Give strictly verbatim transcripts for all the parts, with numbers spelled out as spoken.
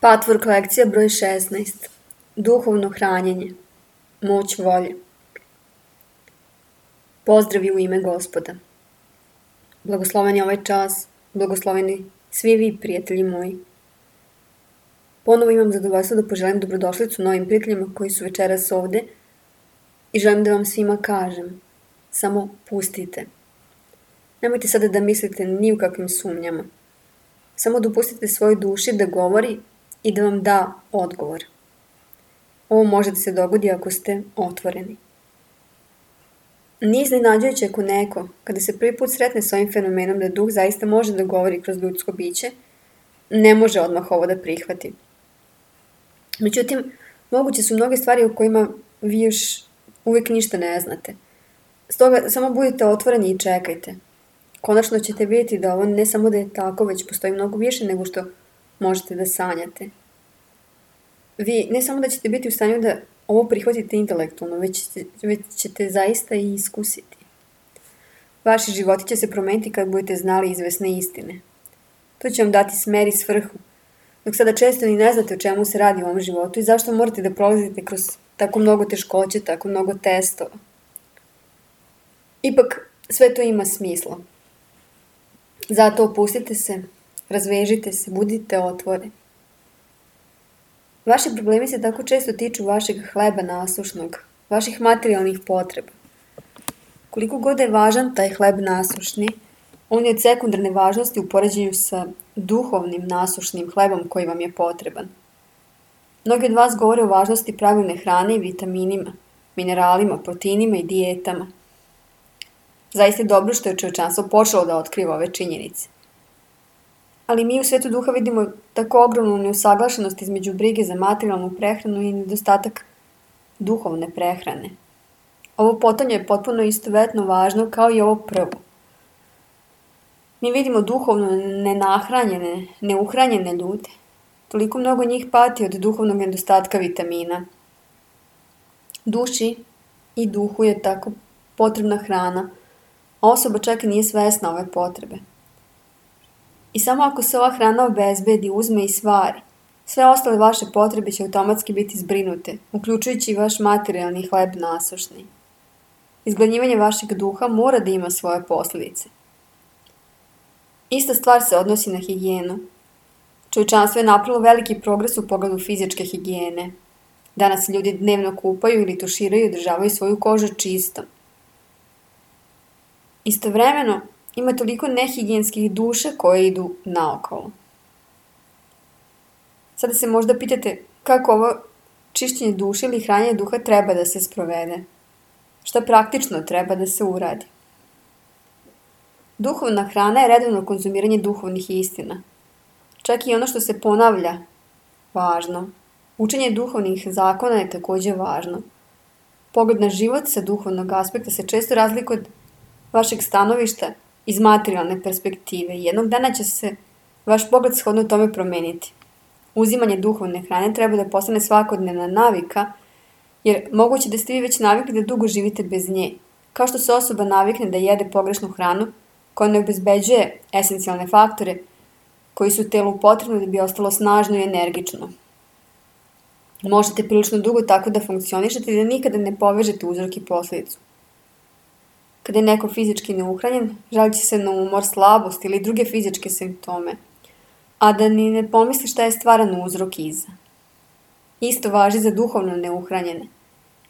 Patvork lekcija broj šesnaest. Duhovno hranjenje. Moć volje. Pozdravi u ime Gospoda. Blagosloven je ovaj čas, blagosloveni svi vi, prijatelji moji. Ponovo imam zadovoljstvo da poželim dobrodošlicu novim prijateljima koji su večeras ovde i želim da vam svima kažem, samo pustite. Nemojte sada da mislite ni u kakvim sumnjama. Samo dopustite svojoj duši da govori i da vam da odgovor. Ovo može da se dogodi ako ste otvoreni. Nije iznenađujuće ako neko, kada se prvi put sretne s ovim fenomenom da duh zaista može da govori kroz ljudsko biće, ne može odmah ovo da prihvati. Međutim, moguće su mnoge stvari o kojima vi još uvijek ništa ne znate. Stoga samo budite otvoreni i čekajte. Konačno ćete vidjeti da ovo ne samo da je tako, već postoji mnogo više nego što možete da sanjate. Vi ne samo da ćete biti u stanju da ovo prihvatite intelektualno, već ćete, već ćete zaista i iskusiti. Vaši životi će se promeniti kad budete znali izvesne istine. To će vam dati smer i svrhu, dok sada često ni ne znate o čemu se radi u ovom životu i zašto morate da prolazite kroz tako mnogo teškoće, tako mnogo testova. Ipak, sve to ima smisla. Zato opustite se, razvežite se, budite otvoreni. Vaši problemi se tako često tiču vašeg hleba nasušnog, vaših materijalnih potreba. Koliko god je važan taj hleb nasušni, on je od sekundarne važnosti u poređenju sa duhovnim nasušnim hlebom koji vam je potreban. Mnogi od vas govore o važnosti pravilne hrane i vitaminima, mineralima, proteinima i dijetama. Zaista je dobro što je čovječanstvo počelo da otkriva ove činjenice. Ali mi u svetu duha vidimo tako ogromnu neusaglašenost između brige za materijalnu prehranu i nedostatak duhovne prehrane. Ovo potonje je potpuno istovetno važno kao i ovo prvo. Mi vidimo duhovno nenahranjene, neuhranjene ljude. Toliko mnogo njih pati od duhovnog nedostatka vitamina. Duši i duhu je tako potrebna hrana, a osoba čak i nije svesna ove potrebe. I samo ako se ova hrana obezbedi, uzme i stvari, sve ostale vaše potrebe će automatski biti zbrinute, uključujući i vaš materijalni hleb nasušni. Izgladnjivanje vašeg duha mora da ima svoje posljedice. Ista stvar se odnosi na higijenu. Čovječanstvo je napravilo veliki progres u pogledu fizičke higijene. Danas ljudi dnevno kupaju ili tuširaju i održavaju svoju kožu čistom. Istovremeno, ima toliko nehigijenskih duša koje idu naokolo. Sada se možda pitate kako ovo čišćenje duše ili hranjenje duha treba da se sprovede. Šta praktično treba da se uradi? Duhovna hrana je redovno konzumiranje duhovnih istina. Čak i ono što se ponavlja, važno. Učenje duhovnih zakona je također važno. Pogled na život sa duhovnog aspekta se često razlikuje od vašeg stanovišta iz materijalne perspektive. Jednog dana će se vaš pogled shodno tome promeniti. Uzimanje duhovne hrane treba da postane svakodnevna navika, jer moguće da ste vi već navikli da dugo živite bez nje. Kao što se osoba navikne da jede pogrešnu hranu, koja ne obezbeđuje esencijalne faktore koji su telu potrebni da bi ostalo snažno i energično. Možete prilično dugo tako da funkcionišete i da nikada ne povežete uzrok i posljedicu. Kada je neko fizički neuhranjen, žalit će se na umor, slabost ili druge fizičke simptome, a da ni ne pomisli šta je stvaran uzrok iza. Isto važi za duhovno neuhranjene.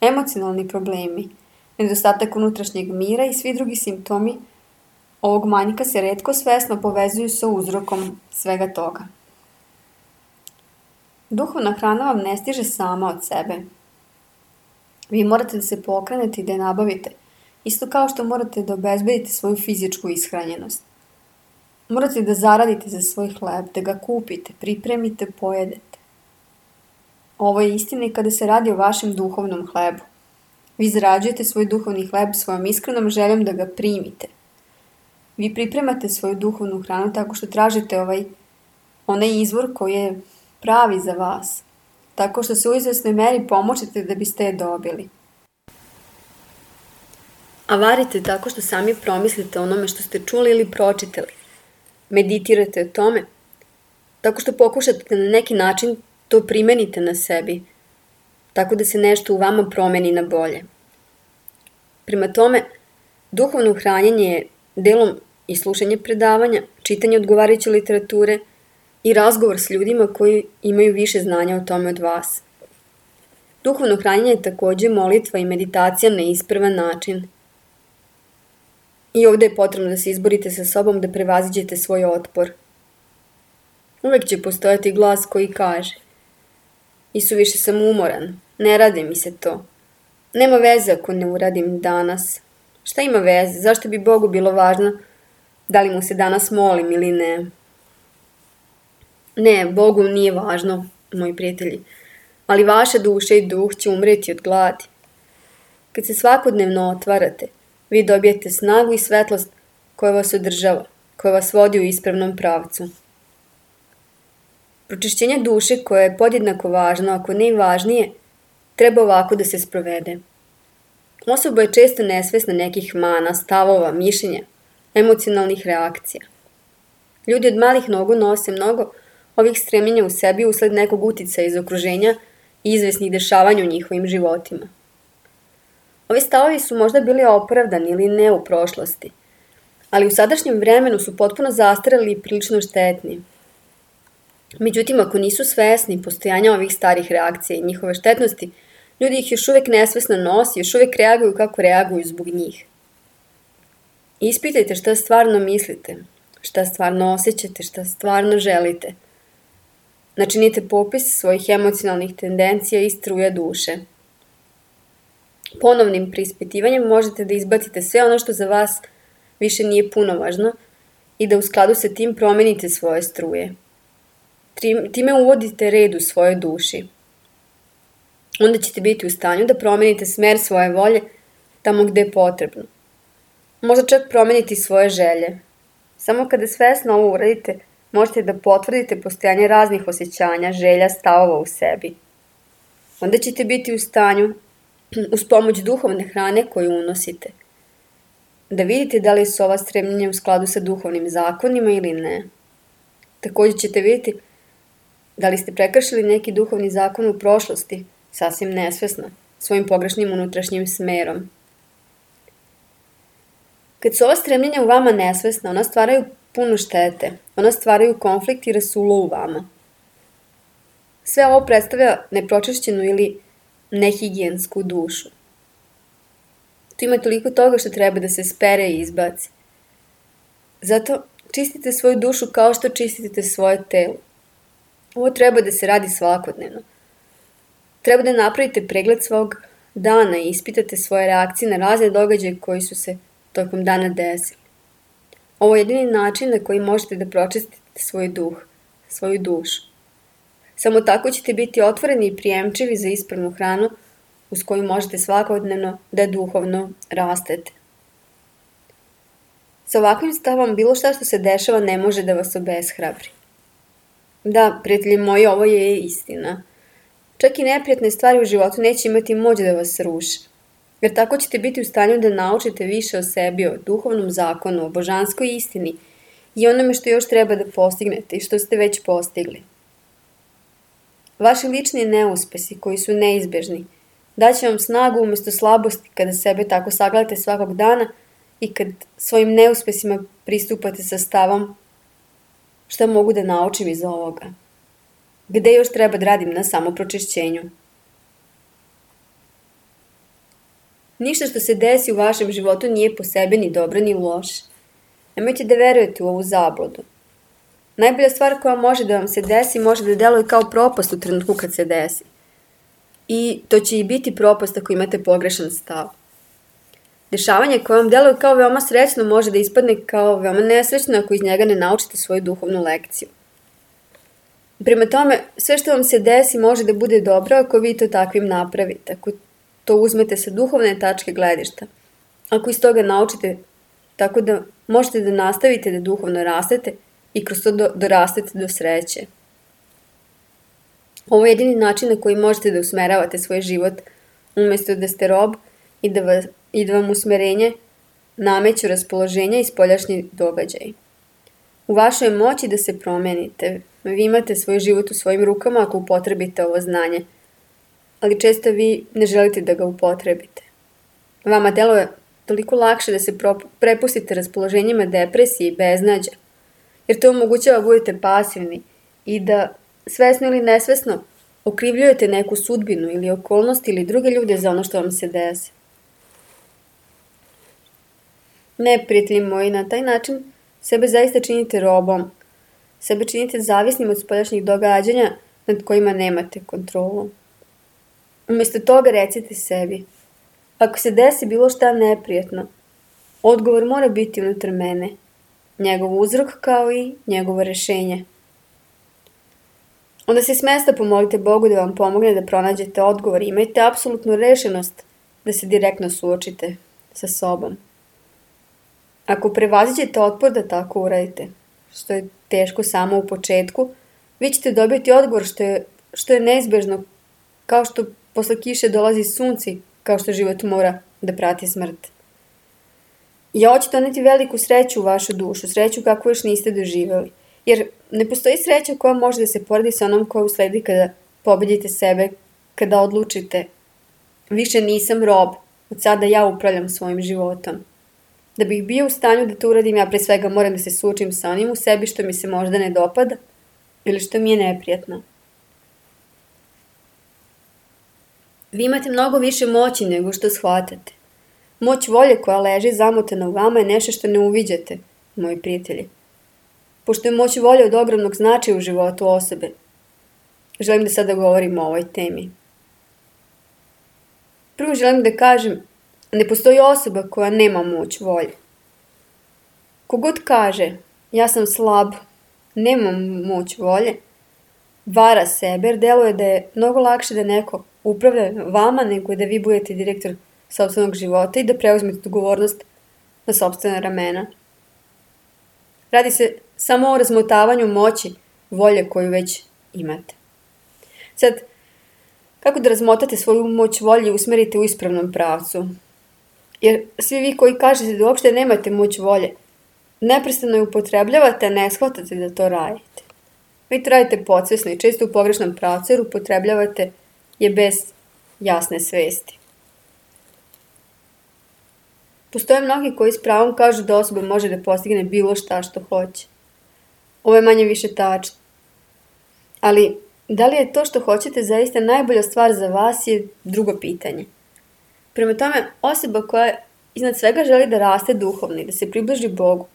Emocionalni problemi, nedostatak unutrašnjeg mira i svi drugi simptomi ovog manjka se retko svesno povezuju sa uzrokom svega toga. Duhovna hrana vam ne stiže sama od sebe. Vi morate da se pokrenete i da je nabavite, isto kao što morate da obezbedite svoju fizičku ishranjenost. Morate da zaradite za svoj hleb, da ga kupite, pripremite, pojedete. Ovo je istina i kada se radi o vašem duhovnom hlebu. Vi zarađujete svoj duhovni hleb svojom iskrenom željom da ga primite. Vi pripremate svoju duhovnu hranu tako što tražite ovaj, onaj izvor koji je pravi za vas, tako što se u izvesnoj meri pomočite da biste je dobili. A varite tako što sami promislite o onome što ste čuli ili pročitali. Meditirate o tome. tako što pokušate da na neki način to primenite na sebi, tako da se nešto u vama promeni na bolje. Prema tome, duhovno hranjenje je delom i slušanje predavanja, čitanje odgovarajuće literature i razgovor s ljudima koji imaju više znanja o tome od vas. Duhovno hranjenje je takođe molitva i meditacija na ispravan način. I ovde je potrebno da se izborite sa sobom da prevaziđete svoj otpor. Uvek će postojati glas koji kaže: Isuviše sam umoran, ne radi mi se to. Nema veze ako ne uradim danas. Šta ima veze? Zašto bi Bogu bilo važno da li mu se danas molim ili ne? Ne, Bogu nije važno, moji prijatelji, ali vaša duša i duh će umreti od gladi. Kad se svakodnevno otvarate, vi dobijete snagu i svetlost koja vas održava, koja vas vodi u ispravnom pravcu. Pročišćenje duše, koje je podjednako važno, ako ne i važnije, treba ovako da se sprovede. Osoba je često nesvesna nekih mana, stavova, mišljenja, emocionalnih reakcija. Ljudi od malih nogu nose mnogo ovih stremljenja u sebi usled nekog uticaja iz okruženja i izvesnih dešavanja u njihovim životima. Ovi stavovi su možda bili opravdani ili ne u prošlosti, ali u sadašnjem vremenu su potpuno zastareli i prilično štetni. Međutim, ako nisu svesni postojanja ovih starih reakcija i njihove štetnosti, ljudi ih još uvek nesvesno nosi, još uvek reaguju kako reaguju zbog njih. Ispitajte šta stvarno mislite, šta stvarno osjećate, šta stvarno želite. Načinite popis svojih emocionalnih tendencija i struja duše. Ponovnim preispitivanjem možete da izbacite sve ono što za vas više nije punovažno i da u skladu sa tim promenite svoje struje. Time uvodite red u svojoj duši. Onda ćete biti u stanju da promenite smer svoje volje tamo gde je potrebno. Možda čak promeniti svoje želje. Samo kada svesno ovo uradite, možete da potvrdite postojanje raznih osjećanja, želja, stavova u sebi. Onda ćete biti u stanju, uz pomoć duhovne hrane koju unosite, da vidite da li su ova stremljenja u skladu sa duhovnim zakonima ili ne. Također ćete vidjeti da li ste prekršili neki duhovni zakon u prošlosti, sasvim nesvesno, svojim pogrešnim unutrašnjim smerom. Kad su ova stremljenja u vama nesvesna, ona stvaraju puno štete, ona stvaraju konflikt i rasulo u vama. Sve ovo predstavlja nepročišćenu ili nehigijensku dušu. Tu ima toliko toga što treba da se spere i izbaci. Zato čistite svoju dušu kao što čistite svoje telo. Ovo treba da se radi svakodnevno. Treba da napravite pregled svog dana i ispitate svoje reakcije na razne događaje koji su se tokom dana desili. Ovo je jedini način na koji možete da pročistite svoj duh, svoju dušu. Samo tako ćete biti otvoreni i prijemčivi za ispravnu hranu uz koju možete svakodnevno da duhovno rastete. Sa ovakvim stavom bilo šta što se dešava ne može da vas obeshrabri. Da, prijatelji moji, ovo je istina. Čak i neprijatne stvari u životu neće imati moć da vas ruše. Jer tako ćete biti u stanju da naučite više o sebi, o duhovnom zakonu, o božanskoj istini i onome što još treba da postignete i što ste već postigli. Vaši lični neuspesi koji su neizbežni daće vam snagu umjesto slabosti kada sebe tako sagledate svakog dana i kad svojim neuspesima pristupate sa stavom šta mogu da naučim iz ovoga. Gde još treba da radim na samopročišćenju? Ništa što se desi u vašem životu nije po sebi ni dobro ni loše. Nemojte da verujete u ovu zabludu. Najbolja stvar koja može da vam se desi može da deluje kao propast u trenutku kad se desi. I to će i biti propast ako imate pogrešan stav. Dešavanje koje vam deluje kao veoma srećno može da ispadne kao veoma nesrećno ako iz njega ne naučite svoju duhovnu lekciju. Prema tome, sve što vam se desi može da bude dobro ako vi to takvim napravite, ako to uzmete sa duhovne tačke gledišta, ako iz toga naučite tako da možete da nastavite da duhovno rastete i kroz to do, dorastete do sreće. Ovo je jedini način na koji možete da usmeravate svoj život umjesto da ste rob i da, vas, i da vam usmerenje nameću raspoloženja i spoljašnji događaj. U vašoj moći da se promenite. Vi imate svoj život u svojim rukama ako upotrebite ovo znanje, ali često vi ne želite da ga upotrebite. Vama deluje toliko lakše da se prepustite raspoloženjima depresije i beznađa, jer to omogućava budete pasivni i da svesno ili nesvesno okrivljujete neku sudbinu ili okolnost ili druge ljude za ono što vam se desi. Ne, prijatelji moji, na taj način sebe zaista činite robom, sebe činite zavisnim od spoljašnjih događanja nad kojima nemate kontrolu. Umjesto toga recite sebi, ako se desi bilo šta neprijetno, odgovor mora biti unutar mene, njegov uzrok kao i njegovo rešenje. Onda se s mesta pomolite Bogu da vam pomogne da pronađete odgovor i imajte apsolutnu rešenost da se direktno suočite sa sobom. Ako prevaziđete otpor da tako uradite, što je teško samo u početku, vi ćete dobiti odgovor što je, što je neizbežno, kao što posle kiše dolazi sunci, kao što život mora da prati smrt. I ovo će doneti veliku sreću u vašu dušu, sreću kakvu još niste doživjeli. Jer ne postoji sreća koja može da se poredi sa onom koja usledi kada pobedite sebe, kada odlučite više nisam rob, od sada ja upravljam svojim životom. Da bih bio u stanju da to uradim, ja pre svega moram da se suočim sa onim u sebi što mi se možda ne dopada ili što mi je neprijatno. Vi imate mnogo više moći nego što shvatate. Moć volje koja leži zamotana u vama je nešto što ne uviđate, moji prijatelji. Pošto je moć volje od ogromnog značaja u životu osobe, želim da sada govorim o ovoj temi. Prvo želim da kažem, ne postoji osoba koja nema moć volje. Kogod kaže, ja sam slab, nemam moć volje, vara sebe jer deluje da je mnogo lakše da neko upravlja vama nego da vi budete direktor sopstvenog života i da preuzmete odgovornost na sopstvena ramena. Radi se samo o razmotavanju moći volje koju već imate. Sad, kako da razmotate svoju moć volje i usmerite u ispravnom pravcu? Jer svi vi koji kažete da uopšte nemate moć volje, neprestano je upotrebljavate, a ne shvatate da to radite. Vi to radite podsvesno i često u pogrešnom pravcu jer upotrebljavate je bez jasne svesti. Postoje mnogi koji s pravom kažu da osoba može da postigne bilo šta što hoće. Ovo je manje više tačno. Ali, da li je to što hoćete zaista najbolja stvar za vas je drugo pitanje. Prema tome, osoba koja iznad svega želi da raste duhovno i da se približi Bogu,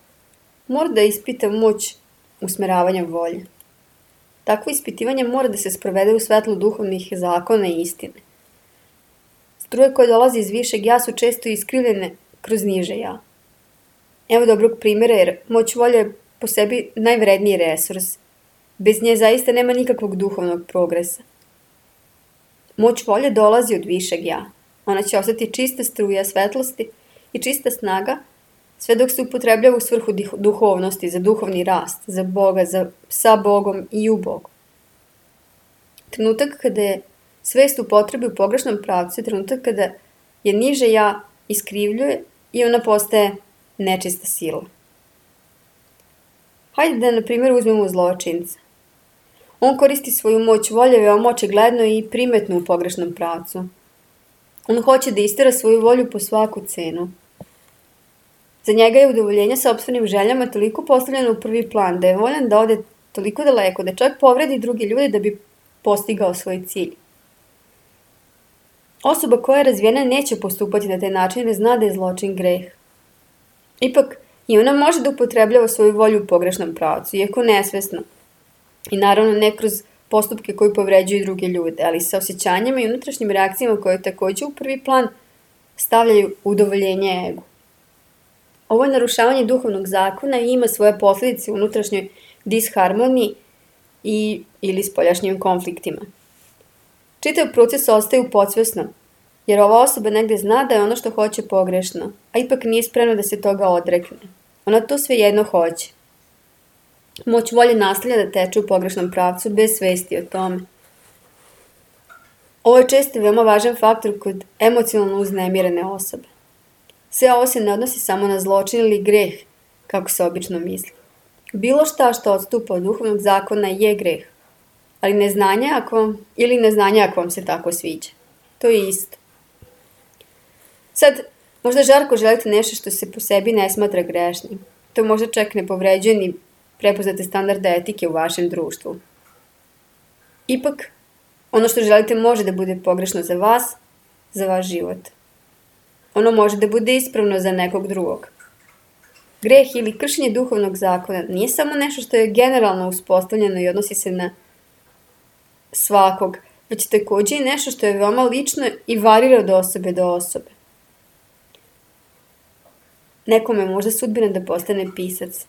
mora da ispita moć usmeravanja volje. Takvo ispitivanje mora da se sprovede u svetlu duhovnih zakona i istine. Struje koje dolaze iz višeg ja su često iskrivljene kroz niže ja. Evo dobrog primjera jer moć volje je po sebi najvredniji resurs. Bez nje zaista nema nikakvog duhovnog progresa. Moć volje dolazi od višeg ja. Ona će ostati čista struja svetlosti i čista snaga sve dok se upotrebljava u svrhu duhovnosti, za duhovni rast, za Boga, za, sa Bogom i u Bogu. Trenutak kada je svest u potrebi u pogrešnom pravcu je trenutak kada je niže ja iskrivljuje i ona postaje nečista sila. Hajde da na primjer uzmemo zločinca. On koristi svoju moć volje veoma očigledno i primetno u pogrešnom pravcu. On hoće da istera svoju volju po svaku cenu. Za njega je udovoljenje sopstvenim željama toliko postavljeno u prvi plan da je voljan da ode toliko daleko da čak povredi drugi ljudi da bi postigao svoj cilj. Osoba koja je razvijena neće postupati na taj način jer zna da je zločin greh. Ipak i ona može da upotrebljava svoju volju u pogrešnom pravcu, iako nesvesno. I naravno ne kroz postupke koji povređuju druge ljude, ali sa osjećanjima i unutrašnjim reakcijama koje također u prvi plan stavljaju udovoljenje egu. Ovo je narušavanje duhovnog zakona i ima svoje posljedice u unutrašnjoj disharmoniji i ili spoljašnjim konfliktima. Čitav proces ostaje u podsvesnom, jer ova osoba negde zna da je ono što hoće pogrešno, a ipak nije spremna da se toga odrekne. Ona to svejedno hoće. Moć volje nastavlja da teče u pogrešnom pravcu bez svesti o tome. Ovo je često veoma važan faktor kod emocionalno uznemirene osobe. Sve ovo se ne odnosi samo na zločin ili greh, kako se obično misli. Bilo šta što odstupa od duhovnog zakona je greh, ali neznanje ako vam, ili neznanje ako vam se tako sviđa. To je isto. Sad, možda žarko želite nešto što se po sebi ne smatra grešnim. To možda čak ne povređuje ni prepoznate standarde etike u vašem društvu. Ipak, ono što želite može da bude pogrešno za vas, za vaš život. Ono može da bude ispravno za nekog drugog. Greh ili kršenje duhovnog zakona nije samo nešto što je generalno uspostavljeno i odnosi se na svakog, već takođe i nešto što je veoma lično i varira od osobe do osobe. Nekome može sudbina da postane pisac.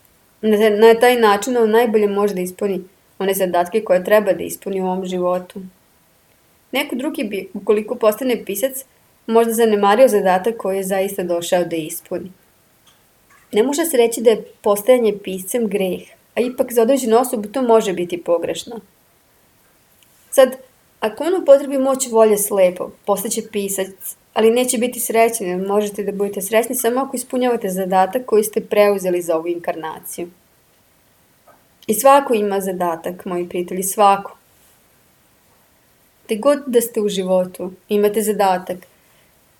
Na taj način on najbolje može da ispuni one zadatke koje treba da ispuni u ovom životu. Neko drugi bi, ukoliko postane pisac, možda zanemario zadatak koji je zaista došao da ispuni. Ne može se reći da je postajanje piscem greh, a ipak za određenu osobu to može biti pogrešno. Sad, ako on upotrebi moć volje slepo, postaće pisac, ali neće biti srećan, jer možete da budete srećni samo ako ispunjavate zadatak koji ste preuzeli za ovu inkarnaciju. I svako ima zadatak, moji prijatelji, svako. Te god da ste u životu, imate zadatak,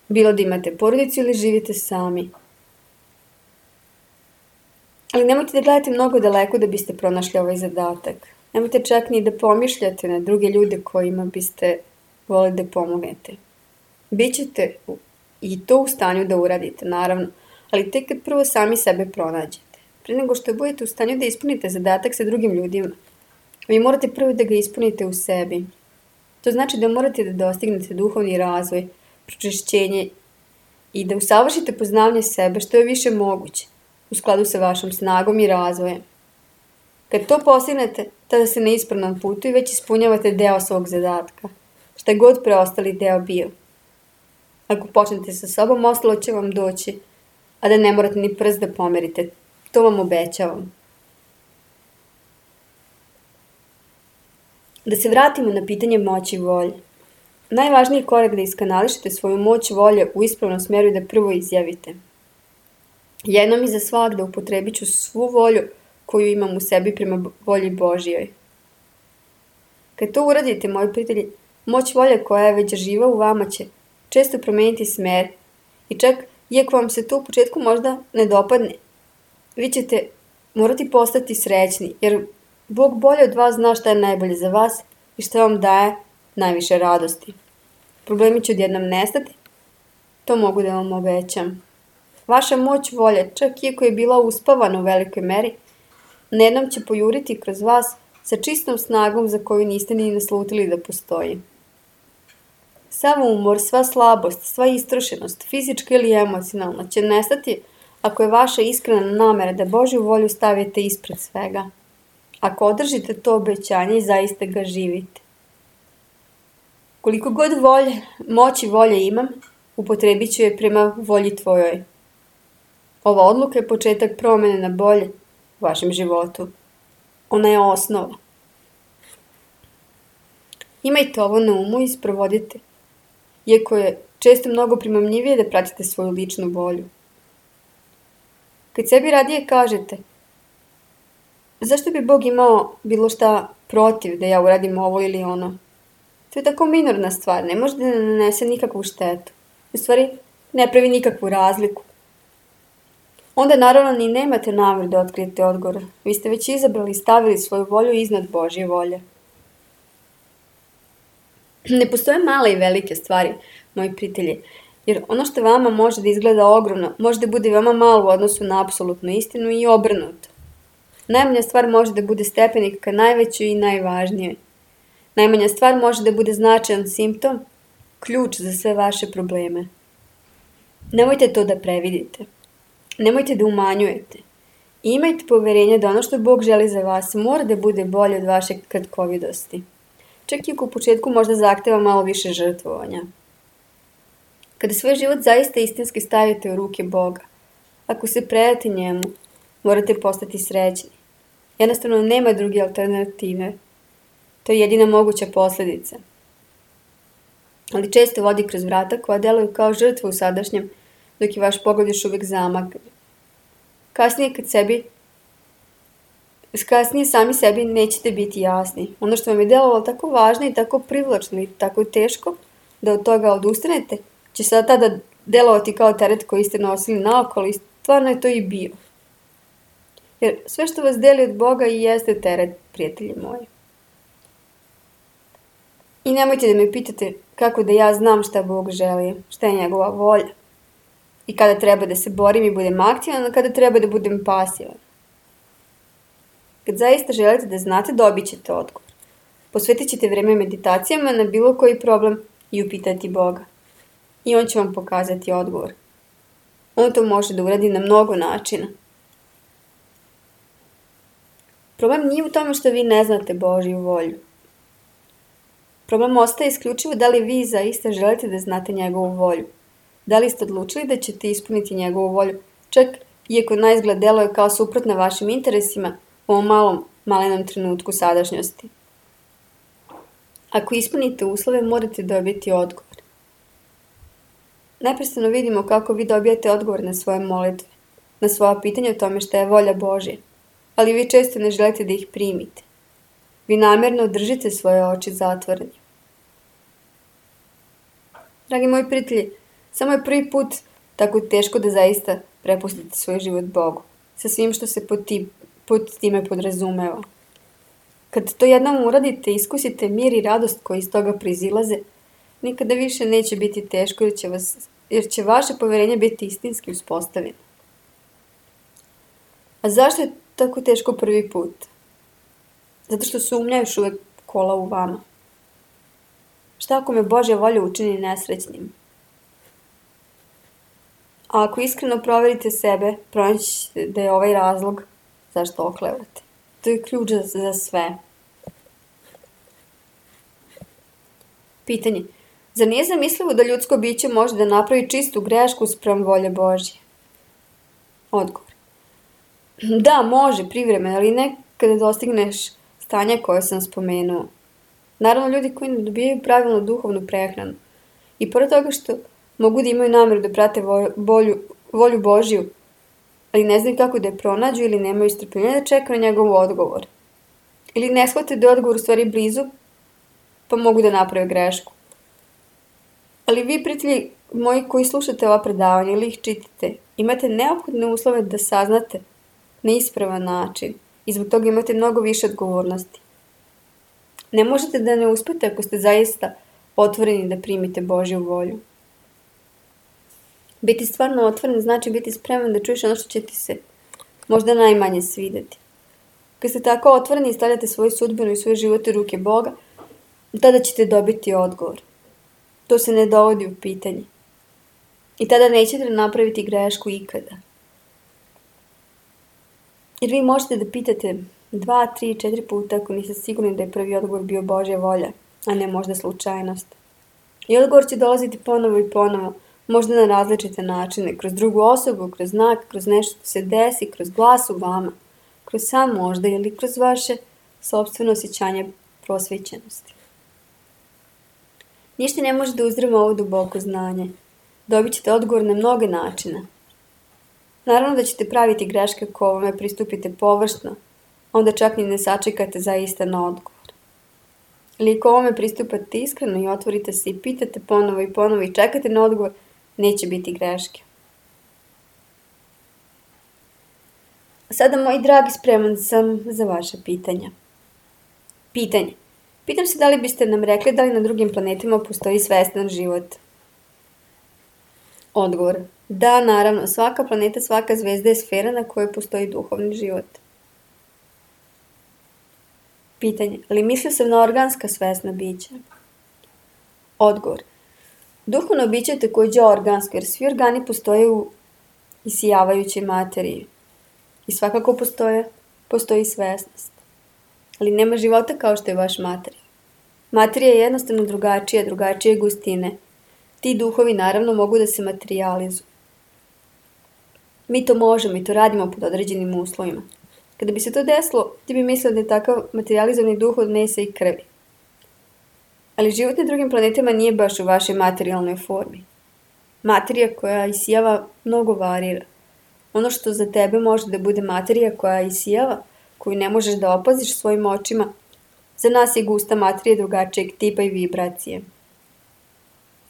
bilo da imate porodicu ili živite sami. Ali nemojte da gledate mnogo daleko da biste pronašli ovaj zadatak. Nemojte čak ni da pomišljate na druge ljude kojima biste voleli da pomognete. Bićete i to u stanju da uradite, naravno, ali tek kad prvo sami sebe pronađete. Pre nego što budete u stanju da ispunite zadatak sa drugim ljudima, vi morate prvo da ga ispunite u sebi. To znači da morate da dostignete duhovni razvoj, pročišćenje i da usavršite poznavanje sebe što je više moguće, u skladu sa vašom snagom i razvojem. Kad to postignete, tada ste na ispravnom putu i već ispunjavate deo svog zadatka, šta je god preostali deo bio. Ako počnete sa sobom, ostalo će vam doći, a da ne morate ni prst da pomerite. To vam obećavam. Da se vratimo na pitanje moći volje. Najvažniji je korak da iskanališete svoju moć volje u ispravnom smeru i da prvo izjavite. Jednom i za svak da upotrebit ću svu volju koju imam u sebi prema volji Božijoj. Kad to uradite, moji prijatelji, moć volje koja je već živa u vama će često promeniti smer i čak, iako vam se to u početku možda ne dopadne, vi ćete morati postati srećni, jer Bog bolje od vas zna šta je najbolje za vas i šta vam daje najviše radosti. Problemi će odjednom nestati, to mogu da vam obećam. Vaša moć volje, čak iako je bila uspavana u velikoj meri, nejednom će pojuriti kroz vas sa čistom snagom za koju niste ni naslutili da postoji. Sav umor, sva slabost, sva istrošenost, fizička ili emocionalna, će nestati ako je vaša iskrena namera da Božju volju stavite ispred svega. Ako održite to obećanje i zaista ga živite. Koliko god volje, moći volje imam, upotrebit ću je prema volji tvojoj. Ova odluka je početak promene na bolje u vašem životu. Ona je osnova. Imajte ovo na umu i sprovodite, iako je često mnogo primamljivije da pratite svoju ličnu volju. Kad sebi radije kažete, zašto bi Bog imao bilo šta protiv da ja uradim ovo ili ono? To je tako minorna stvar, ne može da ne nanese nikakvu štetu. U stvari, ne pravi nikakvu razliku. Onda naravno ni nemate namer da otkrijete odgovor. Vi ste već izabrali i stavili svoju volju iznad Božje volje. Ne postoje male i velike stvari, moji prijatelji, jer ono što vama može da izgleda ogromno, može da bude veoma malo u odnosu na apsolutnu istinu i obrnuto. Najmanja stvar može da bude stepenik ka najvećoj i najvažnijoj. Najmanja stvar može da bude značajan simptom, ključ za sve vaše probleme. Nemojte to da previdite. Nemojte da umanjujete. I imajte poverenje da ono što Bog želi za vas mora da bude bolje od vaše kratkovidosti. Čak i ako u početku možda zahteva malo više žrtvovanja. Kada svoj život zaista istinski stavite u ruke Boga, ako se predate njemu, morate postati srećni. Jednostavno nema druge alternative. To je jedina moguća posljedica. Ali često vodi kroz vrata koja deluju kao žrtva u sadašnjem, dok je vaš pogled još uvijek zamagran. Kasnije kad sebi kasnije sami sebi nećete biti jasni. Ono što vam je delovalo tako važno i tako privlačno i tako teško da od toga odustanete, će sada tada delovati kao teret koji ste nosili naokolo i stvarno je to i bio. Jer sve što vas deli od Boga i jeste teret, prijatelji moji. I nemojte da me pitate kako da ja znam šta Bog želi, šta je njegova volja. I kada treba da se borim i budem aktivan, a kada treba da budem pasivan. Kad zaista želite da znate, dobit ćete odgovor. Posvetit ćete vreme meditacijama na bilo koji problem i upitati Boga. I On će vam pokazati odgovor. On to može da uradi na mnogo načina. Problem nije u tome što vi ne znate Božju volju. Problem ostaje isključivo da li vi zaista želite da znate njegovu volju. Da li ste odlučili da ćete ispuniti njegovu volju, čak iako naizgled deluje kao suprotna vašim interesima u ovom malom, malenom trenutku sadašnjosti. Ako ispunite uslove, morate dobiti odgovor. Neprestano vidimo kako vi dobijate odgovor na svoje molitve, na svoja pitanja o tome šta je volja Božja, ali vi često ne želite da ih primite. Vi namjerno držite svoje oči zatvorene. Dragi moji prijatelji, samo je prvi put tako teško da zaista prepustite svoj život Bogu, sa svim što se pod, ti, pod time podrazumeva. Kad to jednom uradite, iskusite mir i radost koji iz toga proizilaze, nikada više neće biti teško jer će, vas, jer će vaše poverenje biti istinski uspostavljeno. A zašto je tako teško prvi put? Zato što sumnja još uvek kola u vama. Šta ako me Božja volja učini nesrećnim? A ako iskreno proverite sebe, pronaći ćete da je ovaj razlog zašto oklevate. To je ključ za sve. Pitanje. Zar nije zamislivo da ljudsko biće može da napravi čistu grešku spram volje Božje? Odgovor. Da, može, privremeno, ali ne kada dostigneš stanja koje sam spomenuo. Naravno, ljudi koji ne dobijaju pravilnu duhovnu prehranu i pored toga što mogu da imaju namjeru da prate volju, volju Božju, ali ne znaju kako da je pronađu ili nemaju strpljenja da čekaju na njegov odgovor. Ili ne shvate da je odgovor u stvari blizu, pa mogu da naprave grešku. Ali vi, prijatelji moji koji slušate ova predavanja ili ih čitate, imate neophodne uslove da saznate na ispravan način i zbog toga imate mnogo više odgovornosti. Ne možete da ne uspete ako ste zaista otvoreni da primite Božju volju. Biti stvarno otvoren znači biti spreman da čuješ ono što će ti se možda najmanje svideti. Kad ste tako otvoreni i stavljate svoju sudbinu i svoj život u ruke Boga, tada ćete dobiti odgovor. To se ne dovodi u pitanje. I tada nećete napraviti grešku ikada. Jer vi možete da pitate dva, tri, četiri puta ako niste sigurni da je prvi odgovor bio Božja volja, a ne možda slučajnost. I odgovor će dolaziti ponovo i ponovo, možda na različite načine, kroz drugu osobu, kroz znak, kroz nešto se desi, kroz glas u vama, kroz sam možda ili kroz vaše sopstveno osjećanje prosvećenosti. Ništa ne može da uzdrma ovo duboko znanje. Dobit ćete odgovor na mnoge načine. Naravno da ćete praviti greške ako ovome pristupite površno, onda čak ni ne sačekate zaista na odgovor. Ali ako ovome pristupate iskreno i otvorite se i pitate ponovo i ponovo i čekate na odgovor, neće biti greške. Sada, moji dragi, spreman sam za vaše pitanja. Pitanje. Pitam se da li biste nam rekli da li na drugim planetima postoji svestan život? Odgovor. Da, naravno, svaka planeta, svaka zvezda je sfera na kojoj postoji duhovni život. Pitanje. Ali mislio sam na organska svesna bića? Odgovor. Duhovno biće je također organsko, jer svi organi postoje u isijavajućoj materiji. I svakako postoje, postoji svesnost. Ali nema života kao što je vaš materija. Materija je jednostavno drugačija, drugačije gustine. Ti duhovi naravno mogu da se materializuju. Mi to možemo i to radimo pod određenim uslovima. Kada bi se to desilo, ti bi mislio da je takav materializovani duh od mesa i krvi. Ali život na drugim planetima nije baš u vašoj materijalnoj formi. Materija koja isijava mnogo varira. Ono što za tebe može da bude materija koja isijava, koju ne možeš da opaziš svojim očima, za nas je gusta materija drugačijeg tipa i vibracije.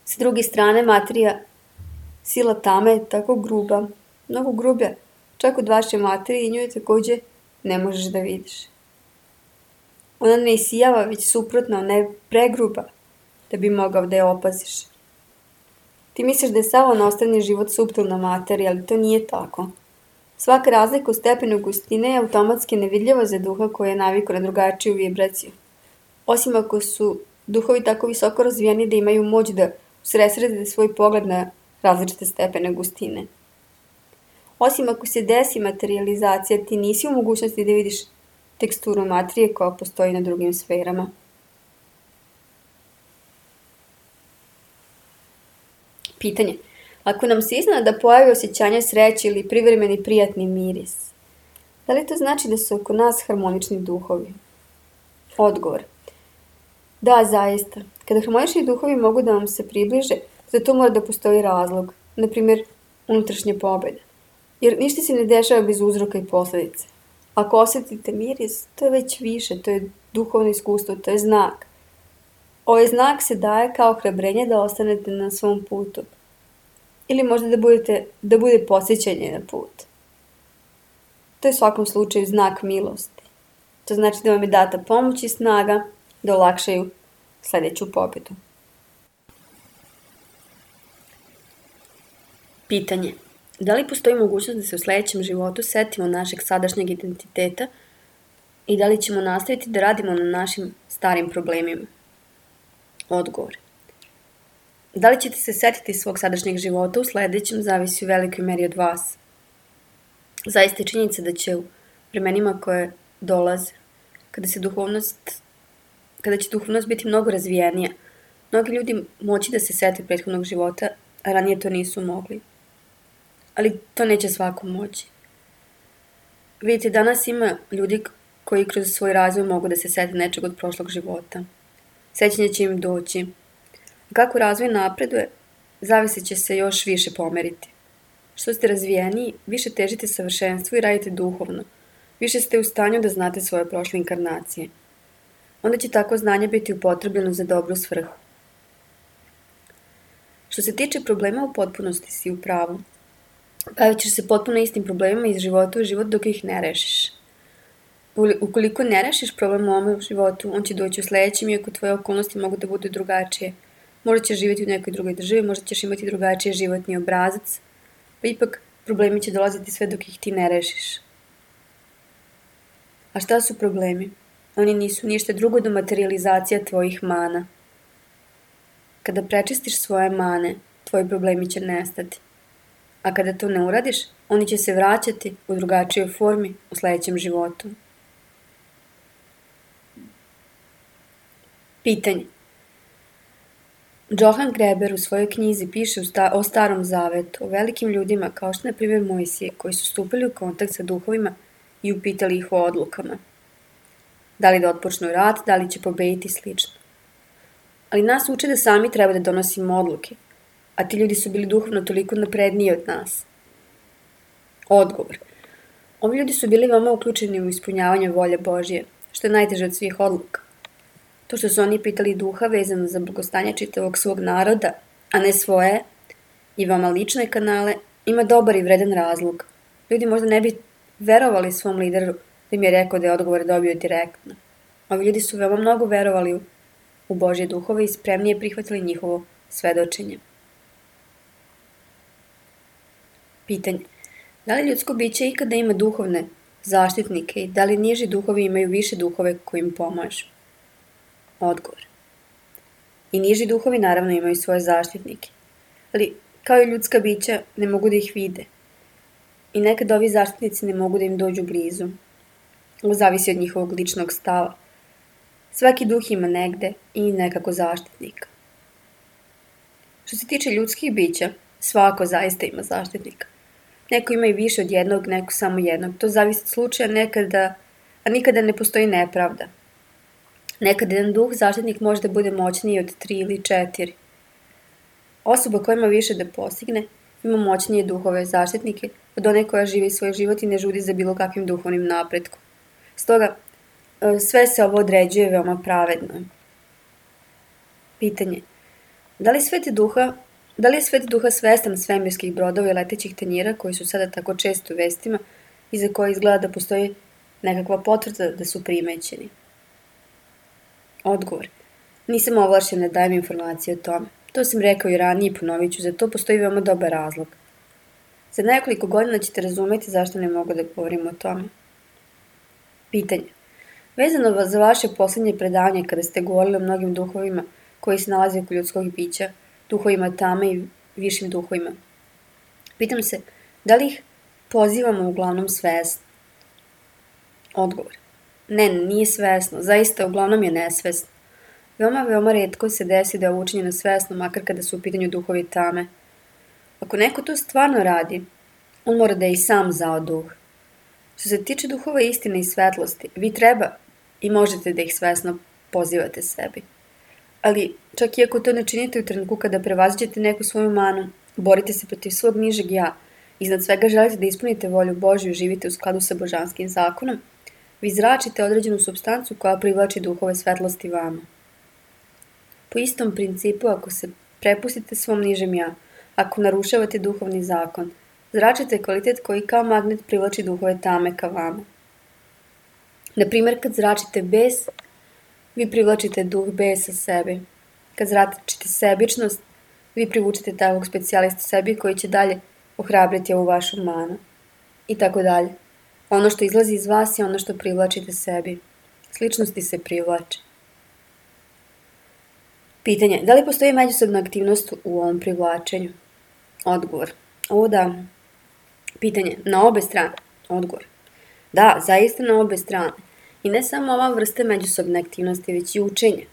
S druge strane, materija, sila tame je tako gruba, mnogo grublja, čak od vaše materije i nju je takođe ne možeš da vidiš. Ona ne isijava, već suprotno, ona je pregruba da bi mogao da je opaziš. Ti misliš da je sav onostrani život suptilna materija, ali to nije tako. Svaka razlika u stepenu gustine je automatski nevidljiva za duha koji je navikao na drugačiju vibraciju. Osim ako su duhovi tako visoko razvijeni da imaju moć da usredsrede svoj pogled na različite stepene gustine. Osim ako se desi materializacija, ti nisi u mogućnosti da vidiš teksturu materije koja postoji na drugim sferama. Pitanje. Ako nam se iznenada da pojavi osjećanje sreće ili privremeni prijatni miris, da li to znači da su oko nas harmonični duhovi? Odgovor. Da, zaista. Kada harmonični duhovi mogu da vam se približe, za to mora da postoji razlog, na primjer unutrašnja pobjeda. Jer ništa se ne dešava bez uzroka i posljedice. Ako osjetite miris, to je već više, to je duhovno iskustvo, to je znak. Ovaj znak se daje kao hrabrenje da ostanete na svom putu. Ili možda da, budete, da bude podsjećanje na put. To je u svakom slučaju znak milosti. To znači da vam je data pomoć i snaga da olakšaju sljedeću pobjedu. Pitanje. Da li postoji mogućnost da se u sljedećem životu setimo našeg sadašnjeg identiteta i da li ćemo nastaviti da radimo na našim starim problemima? Odgovor. Da li ćete se setiti svog sadašnjeg života u sljedećem zavisi u velikoj meri od vas. Zaista je činjenica da će u vremenima koje dolaze, kada, se duhovnost, kada će duhovnost biti mnogo razvijenija, mnogi ljudi moći da se sete prethodnog života, a ranije to nisu mogli. Ali to neće svako moći. Vidite, danas ima ljudi koji kroz svoj razvoj mogu da se sete nečeg od prošlog života. Sećanje će im doći. A kako razvoj napreduje, zavisit će se još više pomeriti. Što ste razvijeniji, više težite savršenstvu i radite duhovno. Više ste u stanju da znate svoje prošle inkarnacije. Onda će tako znanje biti upotrebljeno za dobru svrhu. Što se tiče problema, u potpunosti si u pravu. Bavit ćeš se potpuno istim problemima iz života u život dok ih ne rešiš. Ukoliko ne rešiš problem u ovom životu, on će doći u sljedećem, iako tvoje okolnosti mogu da budu drugačije. Možda ćeš živjeti u nekoj drugoj državi, možda ćeš imati drugačiji životni obrazac, pa ipak problemi će dolaziti sve dok ih ti ne rešiš. A šta su problemi? Oni nisu ništa drugo do materializacija tvojih mana. Kada prečistiš svoje mane, tvoji problemi će nestati. A kada to ne uradiš, oni će se vraćati u drugačijoj formi u sljedećem životu. Pitanje. Johann Greber u svojoj knjizi piše o Starom Zavetu, o velikim ljudima kao što na primjer Mojsije, koji su stupili u kontakt sa duhovima i upitali ih o odlukama. Da li da otpočnu rat, da li će pobediti slično. Ali nas uče da sami treba da donosimo odluke, a ti ljudi su bili duhovno toliko napredniji od nas. Odgovor. Ovi ljudi su bili veoma uključeni u ispunjavanje volje Božje, što je najteže od svih odluka. To što su oni pitali duha vezano za blagostanje čitavog svog naroda, a ne svoje i veoma lične kanale, ima dobar i vredan razlog. Ljudi možda ne bi verovali svom lideru da im je rekao da je odgovor dobio direktno. Ovi ljudi su veoma mnogo verovali u Božje duhove i spremnije prihvatili njihovo svedočenje. Pitanje. Da li ljudsko biće ikada ima duhovne zaštitnike i da li niži duhovi imaju više duhove koji im pomažu? Odgovor. I niži duhovi naravno imaju svoje zaštitnike, ali kao i ljudska bića ne mogu da ih vide. I nekad ovi zaštitnici ne mogu da im dođu blizu. Ovo zavisi od njihovog ličnog stava. Svaki duh ima negde i nekako zaštitnika. Što se tiče ljudskih bića, svako zaista ima zaštitnika. Neko ima i više od jednog, neko samo jednog. To zavisi od slučaja nekada, a nikada ne postoji nepravda. Nekad jedan duh zaštitnik može da bude moćniji od tri ili četiri. Osoba koja ima više da postigne, ima moćnije duhove zaštitnike od one koja živi svoj život i ne žudi za bilo kakvim duhovnim napretkom. Stoga, sve se ovo određuje veoma pravedno. Pitanje. Da li, Sveti Duha, da li je Sveti Duha svestan svemirskih brodova i letećih tanjira koji su sada tako često u vestima i za koje izgleda da postoji nekakva potvrda da su primećeni? Odgovor. Nisam ovlašćen da dajem informacije o tome. To sam rekao i ranije i ponovit ću, za to postoji veoma dobar razlog. Za nekoliko godina ćete razumeti zašto ne mogu da govorim o tome. Pitanje. Vezano za vaše poslednje predavanje kada ste govorili o mnogim duhovima koji se nalaze oko ljudskog bića, duhovima tame i višim duhovima. Pitam se, da li ih pozivamo uglavnom svesno? Odgovor. Ne, nije svesno, zaista uglavnom je nesvesno. Veoma, veoma retko se desi da je ovo učinjeno svesno, makar kada su u pitanju duhovi tame. Ako neko to stvarno radi, on mora da je i sam zao duh. Što se tiče duhova istine i svetlosti, vi treba i možete da ih svesno pozivate sebi. Ali, čak i ako to ne činite u trenutku kada prevaziđete neku svoju manu, borite se protiv svog nižeg ja, iznad svega želite da ispunite volju Božju i živite u skladu sa božanskim zakonom, vi zračite određenu supstancu koja privlači duhove svetlosti vama. Po istom principu, ako se prepustite svom nižem ja, ako narušavate duhovni zakon, zračite kvalitet koji kao magnet privlači duhove tame ka vama. Naprimjer, kad zračite bes, vi privlačite duh besa sebi. Kad zračite sebičnost, vi privučite takvog specijalista sebi koji će dalje ohrabriti ovu vašu manu. I tako dalje. Ono što izlazi iz vas je ono što privlačite sebi. Sličnosti se privlače. Pitanje. Da li postoji međusobna aktivnost u ovom privlačenju? Odgovor. O da. Pitanje. Na obe strane. Odgovor. Da, zaista na obe strane. I ne samo ova vrsta međusobne aktivnosti, već i učenje.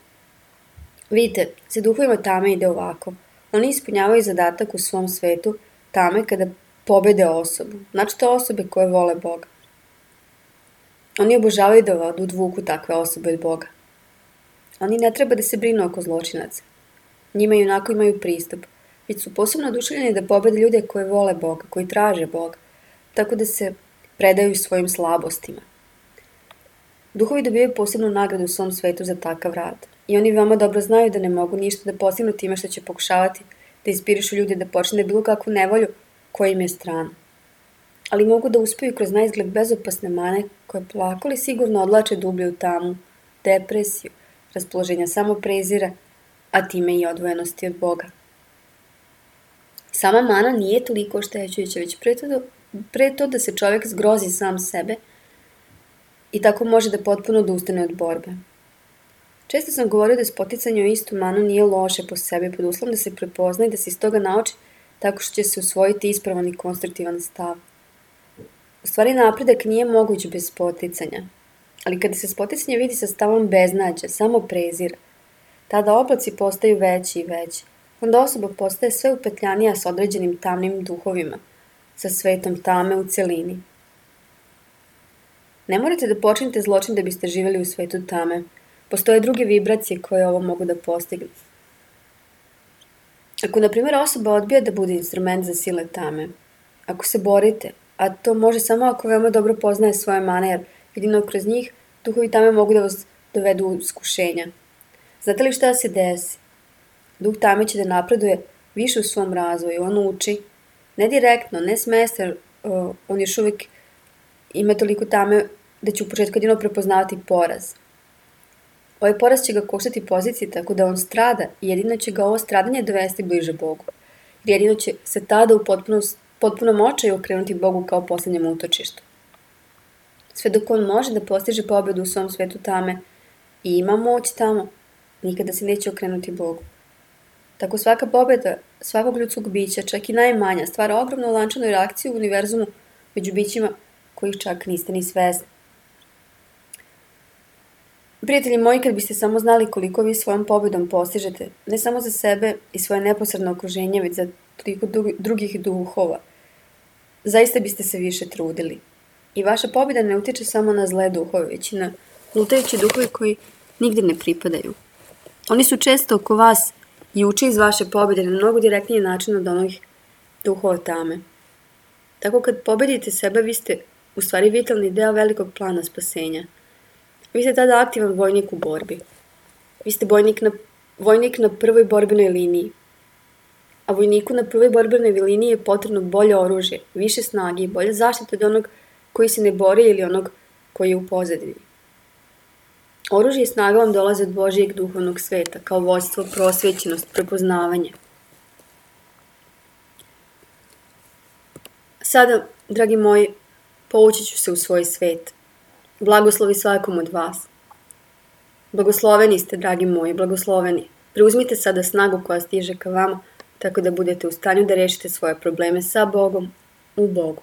Vidite, sa duhovima tame ide ovako. Oni ispunjavaju zadatak u svom svetu tame kada pobede osobu. Znači to osobe koje vole Boga. Oni obožavaju da odvuku takve osobe od Boga. Oni ne treba da se brinu oko zločinaca. Njima i onako imaju pristup. Već su posebno oduševljeni da pobede ljude koje vole Boga, koji traže Boga. Tako da se predaju svojim slabostima. Duhovi dobijaju posebnu nagradu u svom svetu za takav rad. I oni veoma dobro znaju da ne mogu ništa da postignu time što će pokušavati da inspirišu ljude da počne bilo kakvu nevolju koja im je strana. Ali mogu da uspeju kroz naizgled bezopasne mane koje polako li sigurno odlače dublje u tamu, depresiju, raspoloženja samoprezira, a time i odvojenosti od Boga. Sama mana nije toliko oštećujuća, već pre to, pre to da se čovjek zgrozi sam sebe i tako može da potpuno odustane od borbe. Često sam govorio da spoticanje u istu manu nije loše po sebi, pod uslovom da se prepozna i da se iz toga nauči tako što će se usvojiti ispravan i konstruktivan stav. U stvari napredak nije moguć bez spoticanja, ali kada se spoticanje vidi sa stavom beznađa, samo prezira, tada oblaci postaju veći i veći. Onda osoba postaje sve upetljanija s određenim tamnim duhovima, sa svetom tame u celini. Ne morate da počinite zločin da biste živjeli u svetu tame. Postoje druge vibracije koje ovo mogu da postignu. Ako, na primjer, osoba odbija da bude instrument za sile tame, ako se borite, a to može samo ako veoma dobro poznaje svoje mane, jer jedino kroz njih duhovi tame mogu da vas dovedu u iskušenja. Znate li šta se desi? Duh tame će da napreduje više u svom razvoju, on uči, ne direktno, ne s mesta, jer uh, on još uvijek ima toliko tame da će u početku jedino prepoznavati poraz. Ovaj poraz će ga koštati pozicije tako da on strada i jedino će ga ovo stradanje dovesti bliže Bogu. Jer jedino će se tada u potpuno, potpunom očaju okrenuti Bogu kao posljednjem utočištu. Sve dok on može da postiže pobedu u svom svetu tame i ima moć tamo, nikada se neće okrenuti Bogu. Tako svaka pobeda svakog ljudskog bića, čak i najmanja, stvara ogromnu lančanu reakciju u univerzumu među bićima kojih čak niste ni svesni. Prijatelji moji, kad biste samo znali koliko vi svojom pobedom postižete, ne samo za sebe i svoje neposredno okruženje, već za toliko drugih duhova, zaista biste se više trudili. I vaša pobjeda ne utiče samo na zle duhove, već i na lutajući duhovi koji nigde ne pripadaju. Oni su često oko vas i uče iz vaše pobjede na mnogo direktniji način od onih duhova tame. Tako kad pobedite sebe, vi ste u stvari vitalni deo velikog plana spasenja. Vi ste tada aktivan vojnik u borbi. Vi ste vojnik na, vojnik na prvoj borbenoj liniji. A vojniku na prvoj borbenoj liniji je potrebno bolje oružje, više snage i bolje zaštite od onog koji se ne bori ili onog koji je u pozadini. Oružje i snaga vam dolaze od Božijeg duhovnog sveta, kao vođstvo, prosvećenost, prepoznavanje. Sada, dragi moji, povući ću se u svoj svet. Blagoslovi svakom od vas. Blagosloveni ste, dragi moji, blagosloveni. Preuzmite sada snagu koja stiže ka vama, tako da budete u stanju da rešite svoje probleme sa Bogom, u Bogu.